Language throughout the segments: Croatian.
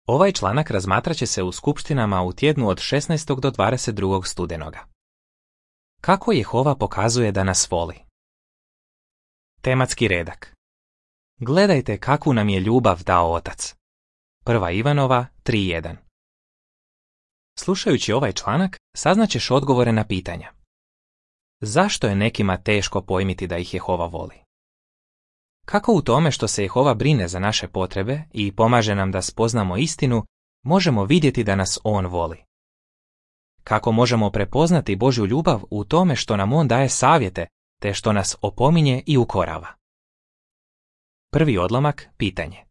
Ovaj članak razmatrat će se u skupštinama u tjednu od 16. do 22. studenoga. Kako Jehova pokazuje da nas voli? Tematski redak. Gledajte kakvu nam je ljubav dao Otac. 1. Ivanova 3.1. Slušajući ovaj članak, saznaćeš odgovore na pitanja. Zašto je nekima teško pojmiti da ih Jehova voli? Kako u tome što se Jehova brine za naše potrebe i pomaže nam da spoznamo istinu, možemo vidjeti da nas On voli? Kako možemo prepoznati Božju ljubav u tome što nam On daje savjete, te što nas opominje i ukorava? Prvi odlomak, pitanje.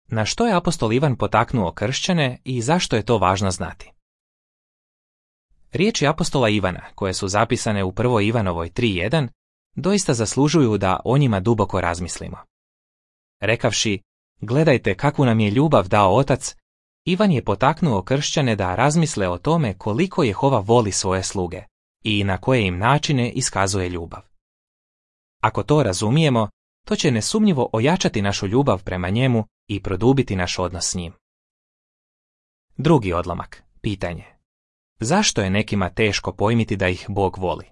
Na što je apostol Ivan potaknuo kršćane i zašto je to važno znati? Riječi apostola Ivana, koje su zapisane u 1. Ivanovoj 3.1, doista zaslužuju da o njima duboko razmislimo. Rekavši, gledajte kakvu nam je ljubav dao Otac, Ivan je potaknuo kršćane da razmisle o tome koliko Jehova voli svoje sluge i na koje im načine iskazuje ljubav. Ako to razumijemo, to će nesumnjivo ojačati našu ljubav prema njemu i produbiti naš odnos s njim. Drugi odlomak, pitanje. Zašto je nekima teško pojmiti da ih Bog voli?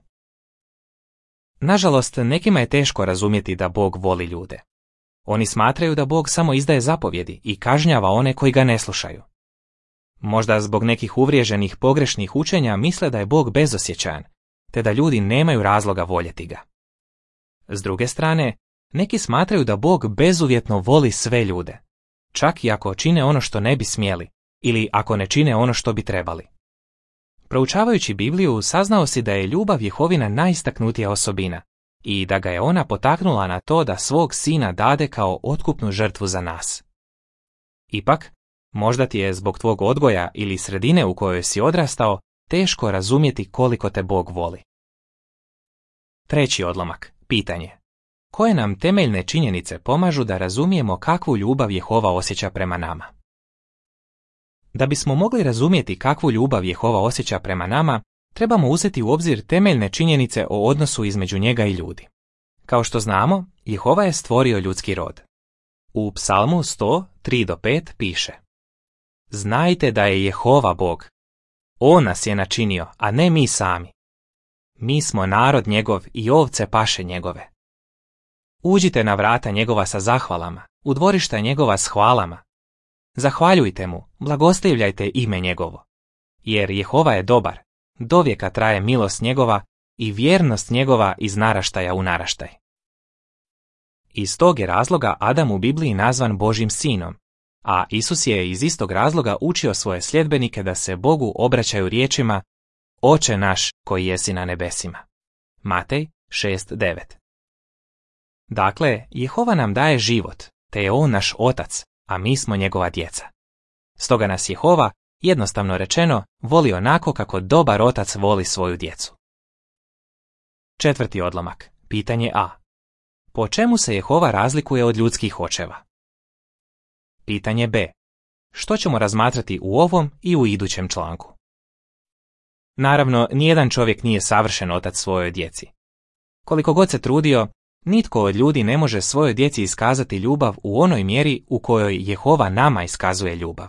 Nažalost, nekima je teško razumjeti da Bog voli ljude. Oni smatraju da Bog samo izdaje zapovjedi i kažnjava one koji ga ne slušaju. Možda zbog nekih uvriježenih pogrešnih učenja misle da je Bog bezosjećajan, te da ljudi nemaju razloga voljeti ga. S druge strane, neki smatraju da Bog bezuvjetno voli sve ljude, čak i ako čine ono što ne bi smjeli ili ako ne čine ono što bi trebali. Proučavajući Bibliju, saznao si da je ljubav Jehovina najistaknutija osobina i da ga je ona potaknula na to da svog sina dade kao otkupnu žrtvu za nas. Ipak, možda ti je zbog tvog odgoja ili sredine u kojoj si odrastao teško razumjeti koliko te Bog voli. Treći odlomak, pitanje. Koje nam temeljne činjenice pomažu da razumijemo kakvu ljubav Jehova osjeća prema nama? Da bismo mogli razumjeti kakvu ljubav Jehova osjeća prema nama, trebamo uzeti u obzir temeljne činjenice o odnosu između njega i ljudi. Kao što znamo, Jehova je stvorio ljudski rod. U Psalmu 100:3-5 piše: Znajte da je Jehova Bog. On nas je načinio, a ne mi sami. Mi smo narod njegov i ovce paše njegove. Uđite na vrata njegova sa zahvalama, u dvorišta njegova s hvalama. Zahvaljujte mu, blagoslivljajte ime njegovo. Jer Jehova je dobar, dovijeka traje milost njegova i vjernost njegova iz naraštaja u naraštaj. Iz tog je razloga Adam u Bibliji nazvan Božjim sinom, a Isus je iz istog razloga učio svoje sljedbenike da se Bogu obraćaju riječima Oče naš koji jesi na nebesima. Matej 6:9. Dakle, Jehova nam daje život, te je On naš Otac, a mi smo njegova djeca. Stoga nas Jehova, jednostavno rečeno, voli onako kako dobar otac voli svoju djecu. Četvrti odlomak, pitanje A. Po čemu se Jehova razlikuje od ljudskih očeva? Pitanje B. Što ćemo razmatrati u ovom i u idućem članku? Naravno, nijedan čovjek nije savršen otac svojoj djeci. Koliko god se trudio, nitko od ljudi ne može svojoj djeci iskazati ljubav u onoj mjeri u kojoj Jehova nama iskazuje ljubav.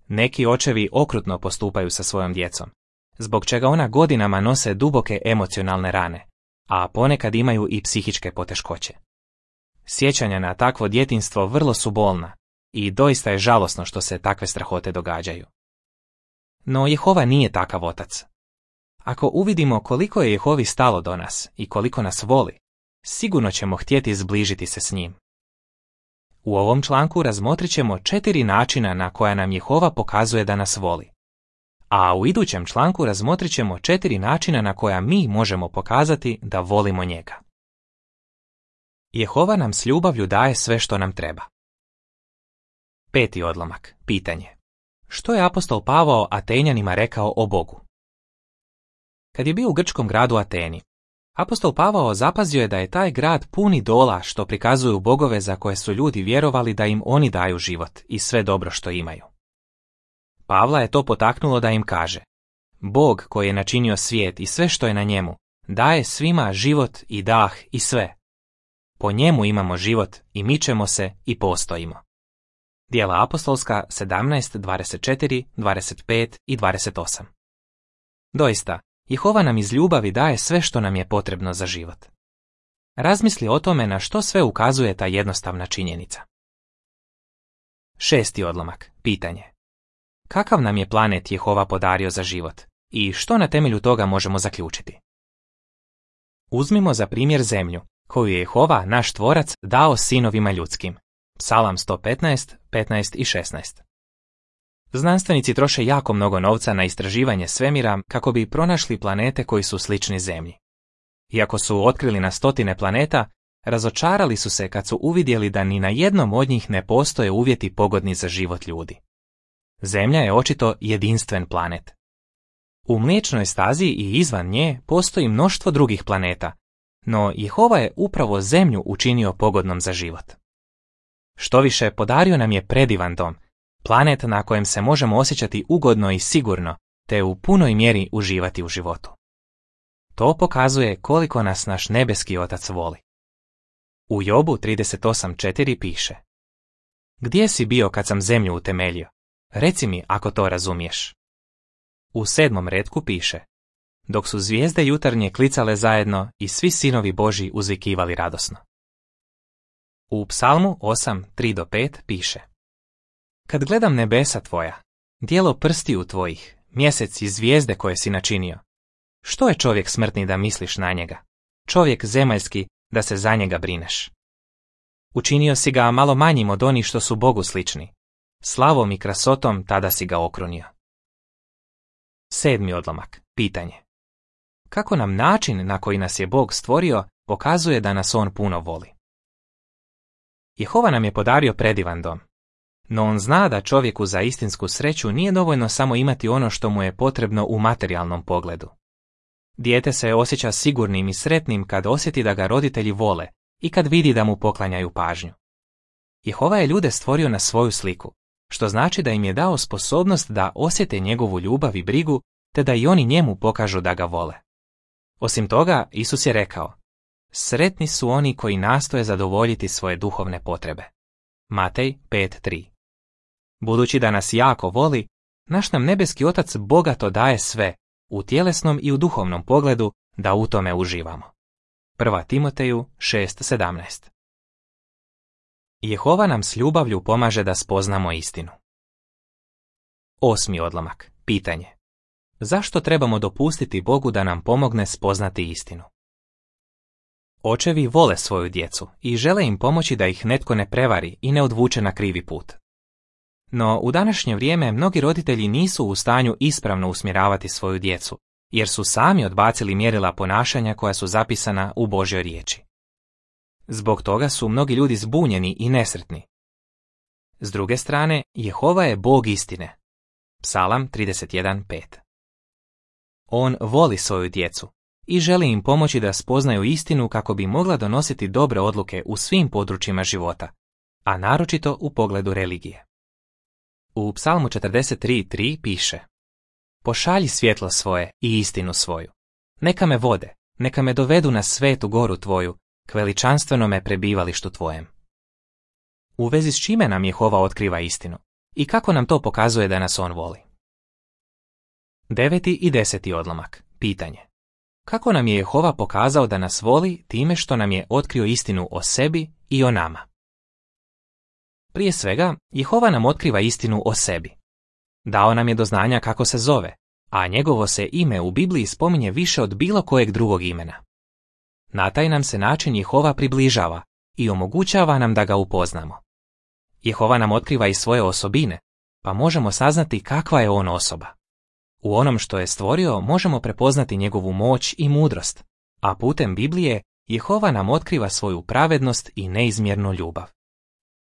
Neki očevi okrutno postupaju sa svojom djecom, zbog čega ona godinama nose duboke emocionalne rane, a ponekad imaju i psihičke poteškoće. Sjećanja na takvo djetinjstvo vrlo su bolna i doista je žalosno što se takve strahote događaju. No Jehova nije takav otac. Ako uvidimo koliko je Jehovi stalo do nas i koliko nas voli, sigurno ćemo htjeti zbližiti se s njim. U ovom članku razmotrit ćemo 4 načina na koja nam Jehova pokazuje da nas voli. A u idućem članku razmotrit ćemo 4 načina na koja mi možemo pokazati da volimo njega. Jehova nam s ljubavlju daje sve što nam treba. Peti odlomak, pitanje. Što je apostol Pavao Atenjanima rekao o Bogu? Kad je bio u grčkom gradu Ateni, apostol Pavao zapazio je da je taj grad pun idola što prikazuju bogove za koje su ljudi vjerovali da im oni daju život i sve dobro što imaju. Pavla je to potaknulo da im kaže: Bog koji je načinio svijet i sve što je na njemu, daje svima život i dah i sve. Po njemu imamo život i mičemo se i postojimo. Djela apostolska 17, 24, 25 i 28. Doista, Jehova nam iz ljubavi daje sve što nam je potrebno za život. Razmisli o tome na što sve ukazuje ta jednostavna činjenica. 6. odlomak. Pitanje. Kakav nam je planet Jehova podario za život i što na temelju toga možemo zaključiti? Uzmimo za primjer zemlju, koju je Jehova, naš tvorac, dao sinovima ljudskim. Psalam 115, 15 i 16. Znanstvenici troše jako mnogo novca na istraživanje svemira kako bi pronašli planete koji su slični Zemlji. Iako su otkrili na stotine planeta, razočarali su se kad su uvidjeli da ni na jednom od njih ne postoje uvjeti pogodni za život ljudi. Zemlja je očito jedinstven planet. U Mliječnoj stazi i izvan nje postoji mnoštvo drugih planeta, no Jehova je upravo Zemlju učinio pogodnom za život. Štoviše, podario nam je predivan dom, planet na kojem se možemo osjećati ugodno i sigurno, te u punoj mjeri uživati u životu. To pokazuje koliko nas naš nebeski Otac voli. U Jobu 38.4 piše: Gdje si bio kad sam zemlju utemeljio? Reci mi ako to razumiješ. U 7. retku piše: Dok su zvijezde jutarnje klicale zajedno i svi sinovi Božji uzvikivali radosno. U Psalmu 8.3-5 piše: Kad gledam nebesa tvoja, djelo prstiju tvojih, mjesec i zvijezde koje si načinio, što je čovjek smrtni da misliš na njega, čovjek zemaljski da se za njega brineš? Učinio si ga malo manjim od onih što su Bogu slični, slavom i krasotom tada si ga okrunio. 7. odlomak. Pitanje. Kako nam način na koji nas je Bog stvorio pokazuje da nas On puno voli? Jehova nam je podario predivan dom, no On zna da čovjeku za istinsku sreću nije dovoljno samo imati ono što mu je potrebno u materijalnom pogledu. Dijete se osjeća sigurnim i sretnim kad osjeti da ga roditelji vole i kad vidi da mu poklanjaju pažnju. Jehova je ljude stvorio na svoju sliku, što znači da im je dao sposobnost da osjete njegovu ljubav i brigu, te da i oni njemu pokažu da ga vole. Osim toga, Isus je rekao: Sretni su oni koji nastoje zadovoljiti svoje duhovne potrebe. Matej 5.3. Budući da nas jako voli, naš nam nebeski Otac bogato daje sve, u tjelesnom i u duhovnom pogledu, da u tome uživamo. 1. Timoteju 6.17. Jehova nam s ljubavlju pomaže da spoznamo istinu. 8. odlomak. Pitanje. Zašto trebamo dopustiti Bogu da nam pomogne spoznati istinu? Očevi vole svoju djecu i žele im pomoći da ih netko ne prevari i ne odvuče na krivi put. No, u današnje vrijeme mnogi roditelji nisu u stanju ispravno usmjeravati svoju djecu, jer su sami odbacili mjerila ponašanja koja su zapisana u Božjoj riječi. Zbog toga su mnogi ljudi zbunjeni i nesretni. S druge strane, Jehova je Bog istine. Psalam 31.5. On voli svoju djecu i želi im pomoći da spoznaju istinu kako bi mogla donositi dobre odluke u svim područjima života, a naročito u pogledu religije. U Psalmu 43.3 piše: Pošalji svjetlo svoje i istinu svoju. Neka me vode, neka me dovedu na svetu goru tvoju, k veličanstvenome prebivalištu tvojem. U vezi s čime nam Jehova otkriva istinu i kako nam to pokazuje da nas on voli? 9. i 10. odlomak. Pitanje. Kako nam je Jehova pokazao da nas voli time što nam je otkrio istinu o sebi i o nama? Prije svega, Jehova nam otkriva istinu o sebi. Dao nam je do znanja kako se zove, a njegovo se ime u Bibliji spominje više od bilo kojeg drugog imena. Na taj nam se način Jehova približava i omogućava nam da ga upoznamo. Jehova nam otkriva i svoje osobine, pa možemo saznati kakva je on osoba. U onom što je stvorio možemo prepoznati njegovu moć i mudrost, a putem Biblije Jehova nam otkriva svoju pravednost i neizmjernu ljubav.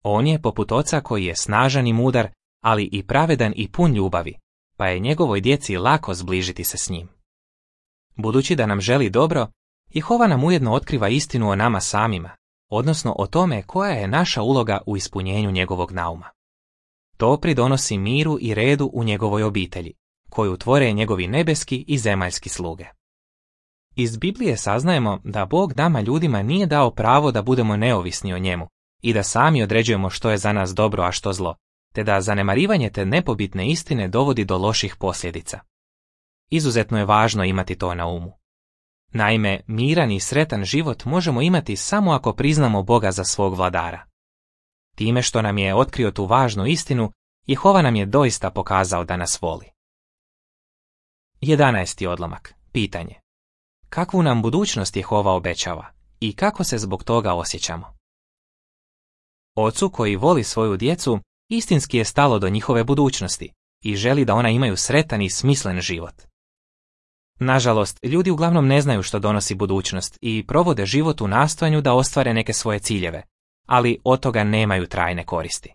On je poput oca koji je snažan i mudar, ali i pravedan i pun ljubavi, pa je njegovoj djeci lako zbližiti se s njim. Budući da nam želi dobro, Jehova nam ujedno otkriva istinu o nama samima, odnosno o tome koja je naša uloga u ispunjenju njegovog nauma. To pridonosi miru i redu u njegovoj obitelji, koju tvore njegovi nebeski i zemaljski sluge. Iz Biblije saznajemo da Bog nama ljudima nije dao pravo da budemo neovisni o njemu i da sami određujemo što je za nas dobro, a što zlo, te da zanemarivanje te nepobitne istine dovodi do loših posljedica. Izuzetno je važno imati to na umu. Naime, miran i sretan život možemo imati samo ako priznamo Boga za svog vladara. Time što nam je otkrio tu važnu istinu, Jehova nam je doista pokazao da nas voli. 11. odlomak. Pitanje. Kakvu nam budućnost Jehova obećava i kako se zbog toga osjećamo? Ocu koji voli svoju djecu, istinski je stalo do njihove budućnosti i želi da ona imaju sretan i smislen život. Nažalost, ljudi uglavnom ne znaju što donosi budućnost i provode život u nastojanju da ostvare neke svoje ciljeve, ali od toga nemaju trajne koristi.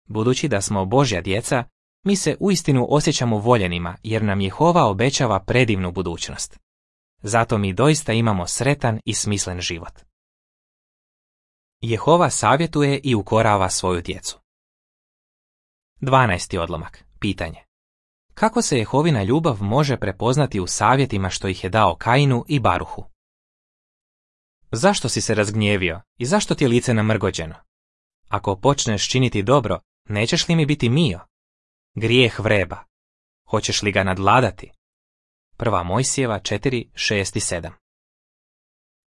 Budući da smo Božja djeca, mi se uistinu osjećamo voljenima jer nam Jehova obećava predivnu budućnost. Zato mi doista imamo sretan i smislen život. Jehova savjetuje i ukorava svoju djecu. 12. odlomak. Pitanje. Kako se Jehovina ljubav može prepoznati u savjetima što ih je dao Kainu i Baruhu? Zašto si se razgnjevio i zašto ti je lice namrgođeno? Ako počneš činiti dobro, nećeš li mi biti mio? Grijeh vreba. Hoćeš li ga nadvladati? 1. Mojsijeva 4, 6 i 7.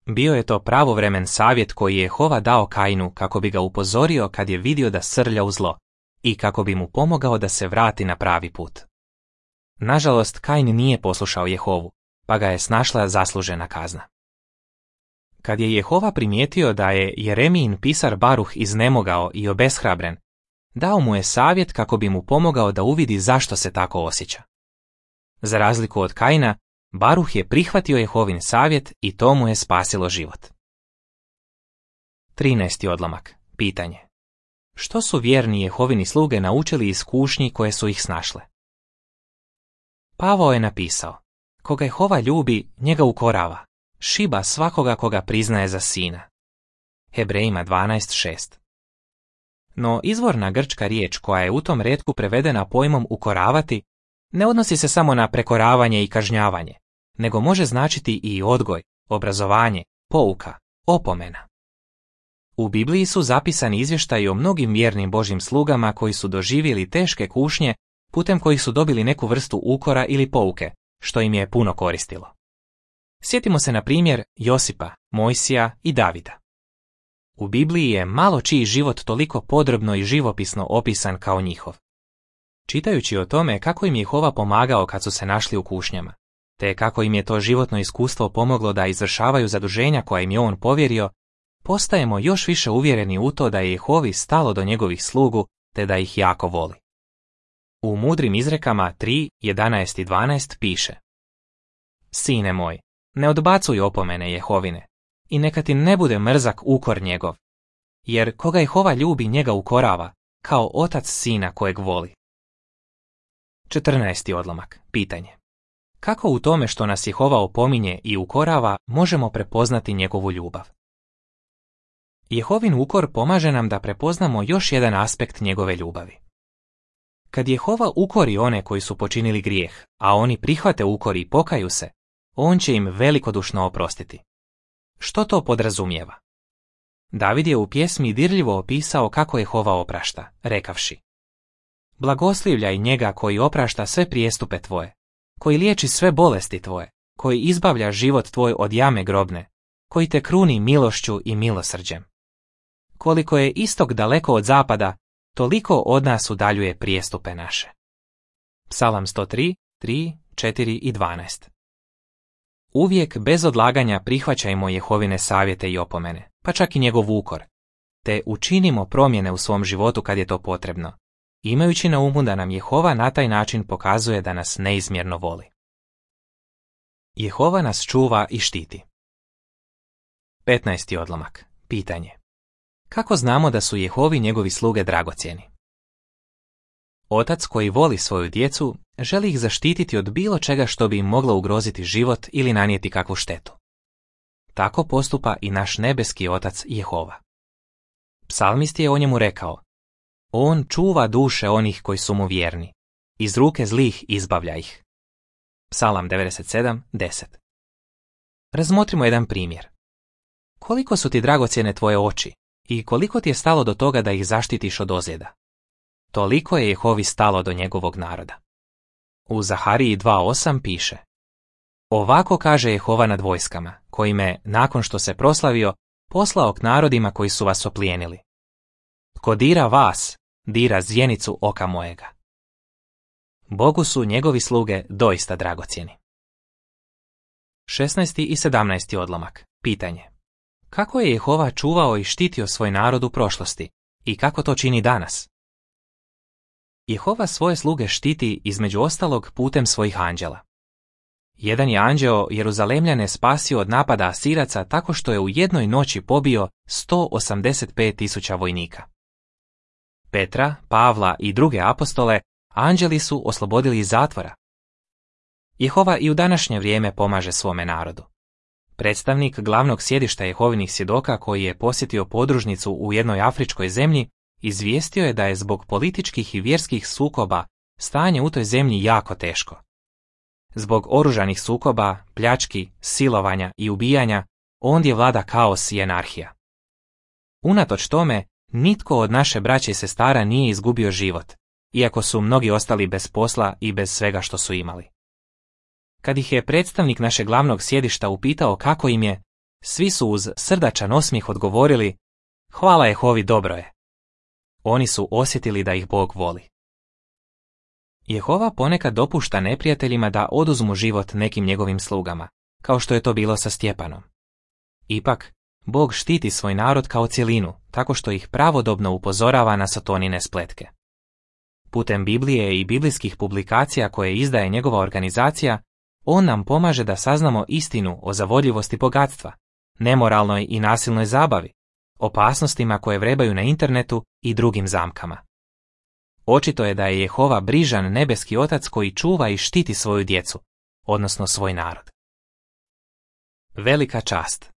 Bio je to pravovremen savjet koji je Jehova dao Kainu kako bi ga upozorio kad je vidio da srlja u zlo i kako bi mu pomogao da se vrati na pravi put. Nažalost, Kain nije poslušao Jehovu, pa ga je snašla zaslužena kazna. Kad je Jehova primijetio da je Jeremijin pisar Baruh iznemogao i obeshrabren, dao mu je savjet kako bi mu pomogao da uvidi zašto se tako osjeća. Za razliku od Kaina, Baruh je prihvatio Jehovin savjet i to mu je spasilo život. 13. odlomak. Pitanje. Što su vjerni Jehovini sluge naučili iz kušnji koje su ih snašle? Pavao je napisao: koga Jehova ljubi, njega ukorava, šiba svakoga koga priznaje za sina. Hebrejima 12.6. No izvorna grčka riječ koja je u tom retku prevedena pojmom ukoravati ne odnosi se samo na prekoravanje i kažnjavanje, nego može značiti i odgoj, obrazovanje, pouka, opomena. U Bibliji su zapisani izvještaji o mnogim vjernim Božjim slugama koji su doživjeli teške kušnje putem kojih su dobili neku vrstu ukora ili pouke, što im je puno koristilo. Sjetimo se na primjer Josipa, Mojsija i Davida. U Bibliji je malo čiji život toliko podrobno i živopisno opisan kao njihov. Čitajući o tome kako im je Jehova pomagao kad su se našli u kušnjama, te kako im je to životno iskustvo pomoglo da izvršavaju zaduženja koja im je on povjerio, postajemo još više uvjereni u to da je Jehovi stalo do njegovih slugu te da ih jako voli. U mudrim izrekama 3, 11 i 12 piše: Sine moj, ne odbacuj opomene Jehovine i neka ti ne bude mrzak ukor njegov, jer koga Jehova ljubi njega ukorava, kao otac sina kojeg voli. 14. odlomak. Pitanje. Kako u tome što nas Jehova opominje i ukorava možemo prepoznati njegovu ljubav? Jehovin ukor pomaže nam da prepoznamo još jedan aspekt njegove ljubavi. Kad Jehova ukori one koji su počinili grijeh, a oni prihvate ukor i pokaju se, on će im velikodušno oprostiti. Što to podrazumijeva? David je u pjesmi dirljivo opisao kako Jehova oprašta, rekavši: Blagoslivljaj njega koji oprašta sve prijestupe tvoje, koji liječi sve bolesti tvoje, koji izbavlja život tvoj od jame grobne, koji te kruni milošću i milosrđem. Koliko je istok daleko od zapada, toliko od nas udaljuje prijestupe naše. Psalam 103, 3, 4 i 12. Uvijek bez odlaganja prihvaćajmo Jehovine savjete i opomene, pa čak i njegov ukor, te učinimo promjene u svom životu kad je to potrebno, imajući na umu da nam Jehova na taj način pokazuje da nas neizmjerno voli. Jehova nas čuva i štiti. 15. odlomak. Pitanje. Kako znamo da su Jehovi njegovi sluge dragocjeni? Otac koji voli svoju djecu želi ih zaštititi od bilo čega što bi im moglo ugroziti život ili nanijeti kakvu štetu. Tako postupa i naš nebeski otac Jehova. Psalmist je o njemu rekao: On čuva duše onih koji su mu vjerni, iz ruke zlih izbavlja ih. Psalam 97, 10. Razmotrimo jedan primjer. Koliko su ti dragocjene tvoje oči i koliko ti je stalo do toga da ih zaštitiš od ozljeda? toliko je Jehovi stalo do njegovog naroda. U Zahariji 2.8 piše: Ovako kaže Jehova nad vojskama, koji me, nakon što se proslavio, poslao k narodima koji su vas oplijenili. Tko dira vas, dira zjenicu oka mojega. Bogu su njegovi sluge doista dragocjeni. 16. i 17. odlomak. Pitanje: kako je Jehova čuvao i štitio svoj narod u prošlosti i kako to čini danas? Jehova svoje sluge štiti između ostalog putem svojih anđela. Jedan je anđeo Jeruzalemljane spasio od napada Asiraca tako što je u jednoj noći pobio 185.000 vojnika. Petra, Pavla i druge apostole anđeli su oslobodili iz zatvora. Jehova i u današnje vrijeme pomaže svome narodu. Predstavnik glavnog sjedišta Jehovinih svjedoka koji je posjetio podružnicu u jednoj afričkoj zemlji izvijestio je da je zbog političkih i vjerskih sukoba stanje u toj zemlji jako teško. Zbog oružanih sukoba, pljački, silovanja i ubijanja, ondje vlada kaos i anarhija. Unatoč tome, nitko od naše braće i sestara nije izgubio život, iako su mnogi ostali bez posla i bez svega što su imali. Kad ih je predstavnik našeg glavnog sjedišta upitao kako im je, svi su uz srdačan osmijeh odgovorili: hvala Jehovi, dobro je. Oni su osjetili da ih Bog voli. Jehova ponekad dopušta neprijateljima da oduzmu život nekim njegovim slugama, kao što je to bilo sa Stjepanom. Ipak, Bog štiti svoj narod kao cjelinu, tako što ih pravodobno upozorava na satanine spletke. Putem Biblije i biblijskih publikacija koje izdaje njegova organizacija, on nam pomaže da saznamo istinu o zavodljivosti bogatstva, nemoralnoj i nasilnoj zabavi, opasnostima koje vrebaju na internetu i drugim zamkama. Očito je da je Jehova brižan nebeski otac koji čuva i štiti svoju djecu, odnosno svoj narod. Velika čast.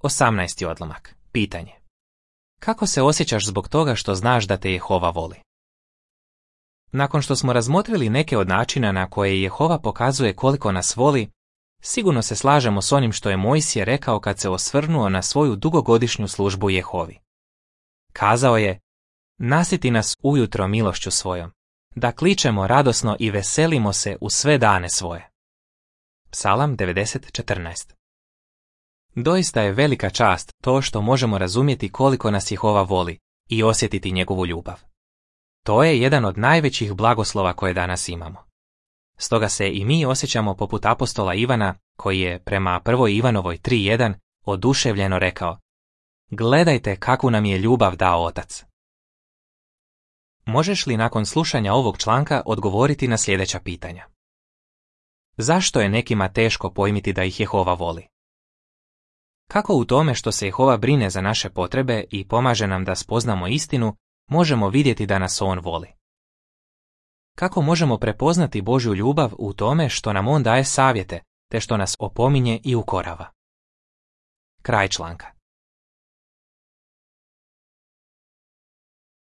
18. odlomak. Pitanje: kako se osjećaš zbog toga što znaš da te Jehova voli? Nakon što smo razmotrili neke od načina na koje Jehova pokazuje koliko nas voli, sigurno se slažemo s onim što je Mojsije rekao kad se osvrnuo na svoju dugogodišnju službu Jehovi. Kazao je: nasiti nas ujutro milošću svojom, da kličemo radosno i veselimo se u sve dane svoje. Psalam 90.14. Doista je velika čast to što možemo razumjeti koliko nas Jehova voli i osjetiti njegovu ljubav. To je jedan od najvećih blagoslova koje danas imamo. Stoga se i mi osjećamo poput apostola Ivana, koji je prema 1. Ivanovoj 3.1 oduševljeno rekao: gledajte kakvu nam je ljubav dao Otac. Možeš li nakon slušanja ovog članka odgovoriti na sljedeća pitanja? Zašto je nekima teško pojmiti da ih Jehova voli? Kako u tome što se Jehova brine za naše potrebe i pomaže nam da spoznamo istinu, možemo vidjeti da nas on voli? Kako možemo prepoznati Božju ljubav u tome što nam on daje savjete, te što nas opominje i ukorava? Kraj članka.